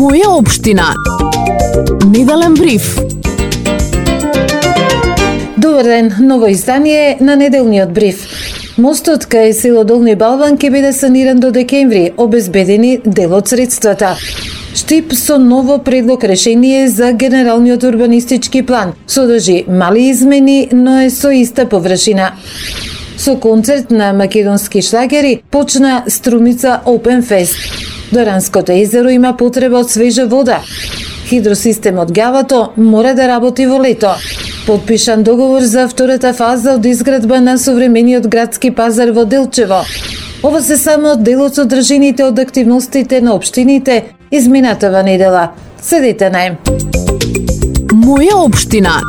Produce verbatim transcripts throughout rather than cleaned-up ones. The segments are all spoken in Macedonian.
Моја општина. Неделен бриф. Добар ден, ново издание на неделниот бриф. Мостот кај село Долни Балван ќе биде саниран до декември, обезбедени дел од средствата. Штип со ново предлог решение за генералниот урбанистички план. Содржи мали измени, но е со иста површина. Со концерт на македонски шлагери почна Струмица Open Fest. Доранското езеро има потреба од свежа вода. Хидросистемот Гавато мора да работи во лето. Подпишан договор за втората фаза од изградба на современиот градски пазар во Делчево. Ова се само дел од содржините од активностите на општините изминатава недела. Седете на Моја општина.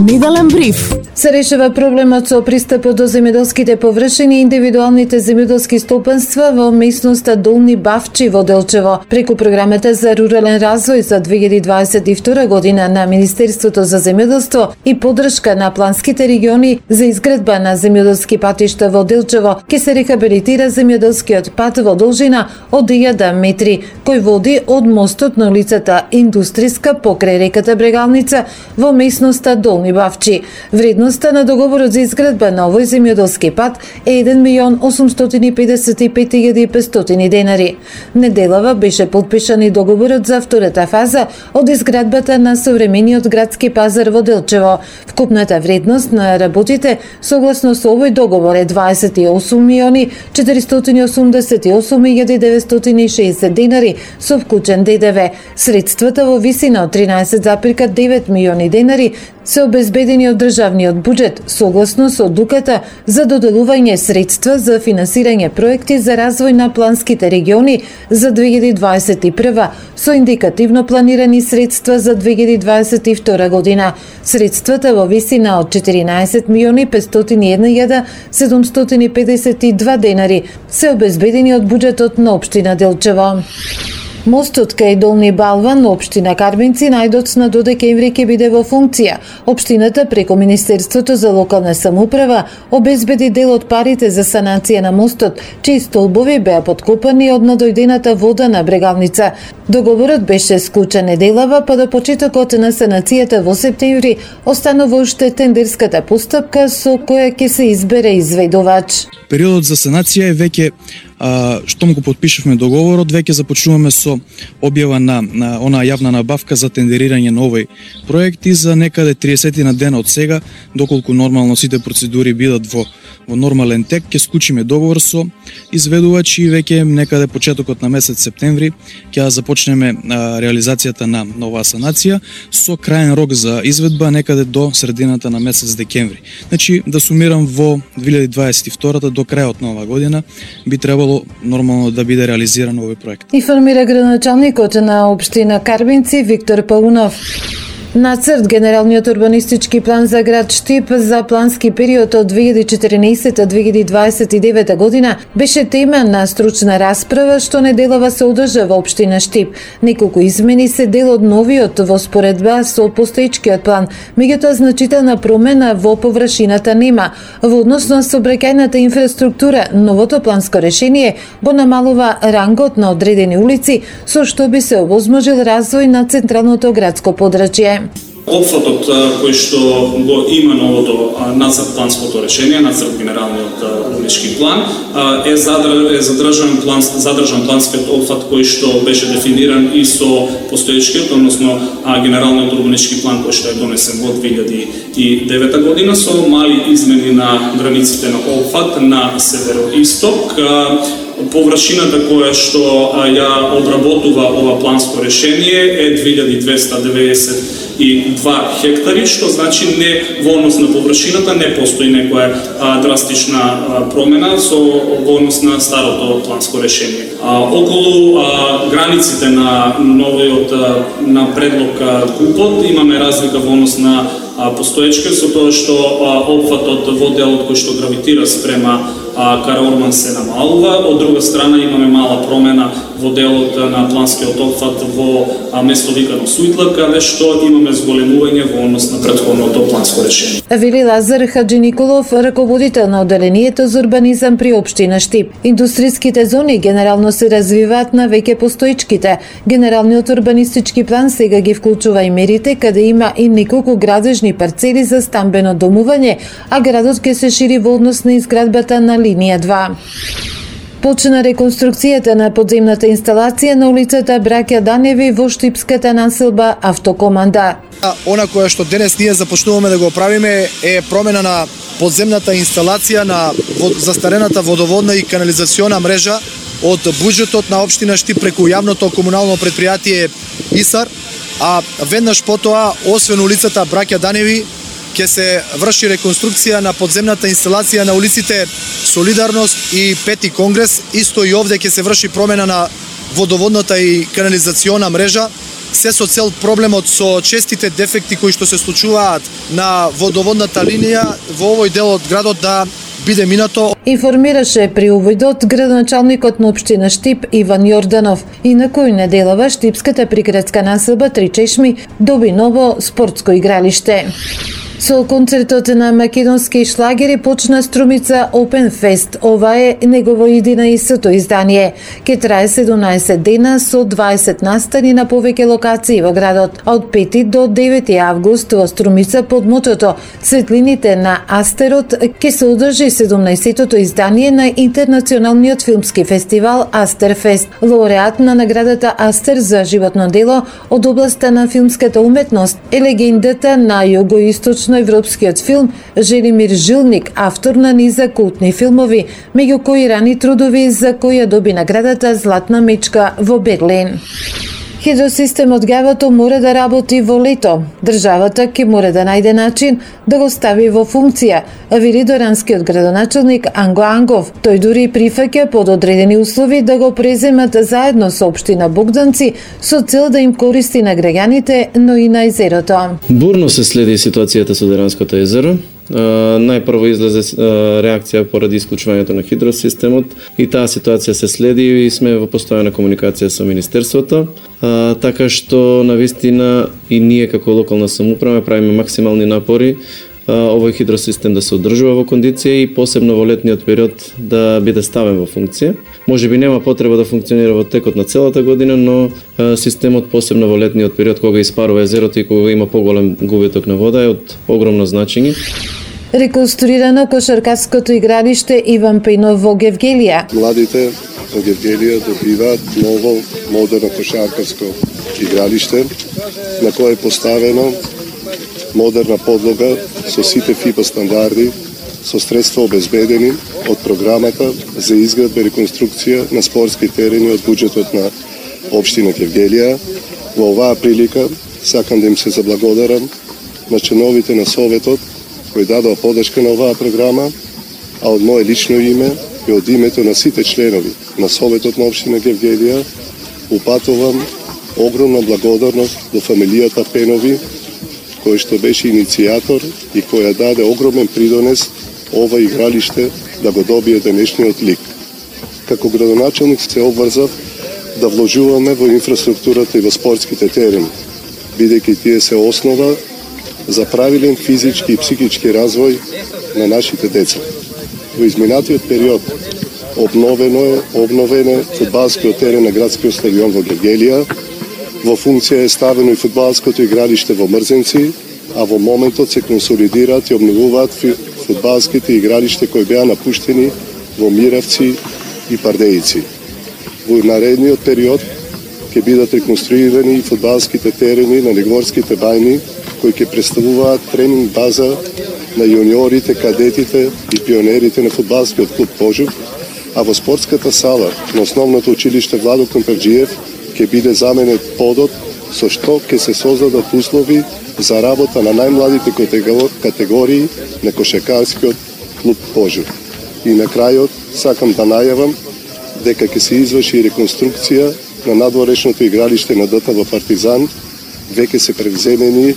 Неделен бриф. Се решава проблемот со пристапот до земјоделските површини и индивидуалните земјоделски стопанства во местноста Долни Бавчи во Делчево. Преку програмата за рурален развој за две илјади дваесет и втора година на Министерството за земјоделство и поддршка на планските региони за изградба на земјоделски патишта во Делчево, ќе се рехабилитира земјоделскиот пат во должина од илјада метри, кој води од мостот на улицата Индустријска покрај реката Брегалница во местноста Долни Бавчи. Вредност Вредноста на договорот за изградба на овој земјоделски пат е еден милион осумстотини и педесет и пет илјади и петстотини денари. Неделава беше подпишан и договорот за втората фаза од изградбата на современиот градски пазар во Делчево. Вкупната вредност на работите согласно со овој договор е дваесет и осум милиони четиристотини осумдесет и осум илјади деветстотини и шеесет денари со вклучен ДДВ. Средствата во висина од тринаесет запирка девет милиони денари се обезбедени од државниот буџет, согласно со одлуката за доделување средства за финансирање проекти за развој на планските региони за две илјади дваесет и прва, со индикативно планирани средства за две илјади дваесет и втора година. Средствата во висина од четиринаесет милиони петстотини и една илјада седумстотини педесет и два денари се обезбедени од буџетот на општина Делчево. Мостот кај Долни Балван, општина Карбинци, најдоцна до декември ќе биде во функција. Општината преку Министерството за локална самоуправа обезбеди дел од парите за санација на мостот, чии столбови беа подкопани од надојдената вода на Брегалница. Договорот беше склучен неделава, па до почетокот на санацијата во септември останува уште тендерската постапка со која ќе се избере изведувач. Периодот за санација е веќе А, штом го подпишавме договорот, веќе започнуваме со објава на, на онаа јавна набавка за тендерирање на овој проект и за некаде триесет на дена од сега, доколку нормално сите процедури бидат во, во нормален тек, ќе склучиме договор со изведувач и веќе некаде почетокот на месец септември ќе започнеме а, реализацијата на оваа санација со крајен рок за изведба некаде до средината на месец декември. Значи, да сумирам, во две илјади дваесет и втора до крајот на оваа година би требало нормално да биде реализиран овој проект. Информира градоначалникот на општина Карбинци Виктор Паунов. Нацрт генералниот урбанистички план за град Штип за плански период од две илјади четирнаесета до две илјади дваесет и девета година беше тема на стручна расправа што неделава се одржа во општина Штип. Неколку измени се дел од новиот во споредба со постоечкиот план, меѓутоа значителна промена во површината нема. Во однос на сообраќајната инфраструктура, новото планско решение го намалува рангот на одредени улици, со што би се овозможил развој на централното градско подрачје. Опфатот кој што го има новото нацрт планското решение, нацрт генералниот урбанистички план, е задржан план, задржан планскиот опфат кој што беше дефиниран и со постоечкиот, односно генералниот урбанистички план кој што е донесен во две илјади и девета година со мали измени на границите на опфат на североисток. Површината која што ја одработува ова планско решение е две илјади двеста деветдесет и два хектари, што значи не во однос на површината не постои некоја а, драстична а, промена со во однос на старото планско решение. А, околу а, границите на новиот а, на предлог КУПОД имаме разлика во однос на постоечка со тоа што опфатот во делот кој што гравитира спрема а, Караорман се намалува. Од друга страна имаме мала промена во делот на планскиот опфат во а, место викано Суитла, каде што имаме зголемување во однос на претходното планско решение. Вели Лазар Хаджи Николов, раководител на оделението за урбанизам при општина Штип. Индустријските зони генерално се развиваат на веќе постоечките. Генералниот урбанистички план сега ги вклучува и мерите каде има и неколку градежни парцели за стамбено домување, а градот ќе се шири во однос на изградбата на линија два. Почна реконструкцијата на подземната инсталација на улицата Браќа Даневи во штипската населба Автокоманда. Она кое што денес ние започнуваме да го правиме е промена на подземната инсталација на застарената водоводна и канализациона мрежа од буџетот на општина Штип преку јавното комунално предпријатие ИСАР, а веднаш потоа, освен улицата Браќа Даневи, ќе се врши реконструкција на подземната инсталација на улиците Солидарност и Пети Конгрес. Исто и овде ќе се врши промена на водоводната и канализациона мрежа, се со цел проблемот со честите дефекти кои што се случуваат на водоводната линија во овој дел од градот да биде минато. Информираше при уводот градоначалникот на општина Штип Иван Јорданов. И на кој неделава Штипската приградска населба Три Чешми доби ново спортско игралиште. Со концертот на македонски шлагери почна Струмица Open Fest. Ова е негово единаесетто издание. Ке трае седумнаесет дена со дваесет настани на повеќе локации во градот. Од пети до девети август во Струмица под мотото Светлините на Астерот ке се одржи седумнаесеттото издание на интернационалниот филмски фестивал Астерфест. Лауреат на наградата Астер за животно дело од областа на филмската уметност е легендата на југоисточно европскиот филм Желимир Жилник, автор на низа култни филмови, меѓу кои рани трудови за која доби наградата Златна мечка во Берлин. Хидросистемот Гавато мора да работи во лето. Државата ќе мора да најде начин да го стави во функција, вели доранскиот градоначалник Анго Ангов. Тој дури прифаќа под одредени услови да го преземат заедно со општина Богданци со цел да им користи на граѓаните, но и на езерото. Бурно се следи ситуацијата со Деранското езеро. Uh, најпрво излезе uh, реакција поради исклучувањето на хидросистемот и таа ситуација се следи и сме во постојана комуникација со Министерството, uh, така што навистина и ние како локална самоуправа правиме максимални напори uh, овој хидросистем да се одржува во кондиција и посебно во летниот период да биде ставен во функција. Може би нема потреба да функционира во текот на целата година, но uh, системот посебно во летниот период кога испарува езерото и кога има поголем губиток на вода е од огромно значење. Реконструирано кошаркарското игралиште Иван Пејнов во Гевгелија. Младите во Гевгелија добиваат ново модерно кошаркарско игралиште на кое е поставено модерна подлога со сите фиба стандарди, со средства обезбедени од програмата за изградба и реконструкција на спортски терени од буџетот на општина Гевгелија. Во оваа прилика сакам да им се заблагодарам на членовите на Советот кои дадоа подршка на оваа програма, а од мое лично име и од името на сите членови на Советот на општина Гевгелија упатувам огромна благодарност до фамилијата Пенови, кој што беше иницијатор и која даде огромен придонес ова игралиште да го добие денешниот лик. Како градоначалник се обврзав да вложуваме во инфраструктурата и во спортските терени, бидејќи тие се основа за правилен физички и психички развој на нашите деца. Во изминатиот период обновено е обновен е фудбалскиот терен на градскиот стадион во Гевгелија, во функција е ставено и фудбалското игралиште во Мрзенци, а во моментот се консолидираат и обновуваат фудбалските игралиште кои беа напуштени во Миравци и Пардејци. Во наредниот период ќе бидат реконструирани и фудбалските терени на Негворските бајни, кои ќе представуваат тренинг база на јуниорите, кадетите и пионерите на фудбалскиот клуб Пожук, а во спортската сала на основното училиште Владо Комперџиев ќе биде заменет подот со што ќе се создадат услови за работа на најмладите категории на кошаркарскиот клуб Пожук. И на крајот сакам да најавам дека ќе се изврши реконструкција на надворешното игралиште на ДТВ Партизан, веќе се превземени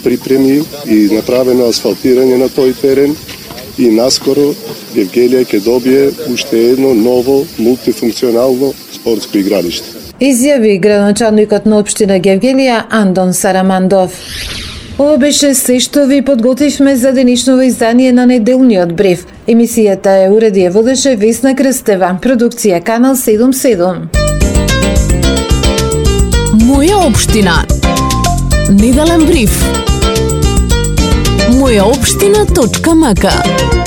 припреми и направено асфалтирање на тој терен и наскоро Евгелија ќе добие уште едно ново мултифункционално спортско игралиште. Изјави градоначалникот на општина Гевгелија Андон Сарамандов. Ова беше се што ви подготвивме за денешново издание на неделниот бриф. Емисијата е уреди е водеше Весна Крстева, продукција Канал седум седум. Моја општина. Неделен бриф. моја општина точка м к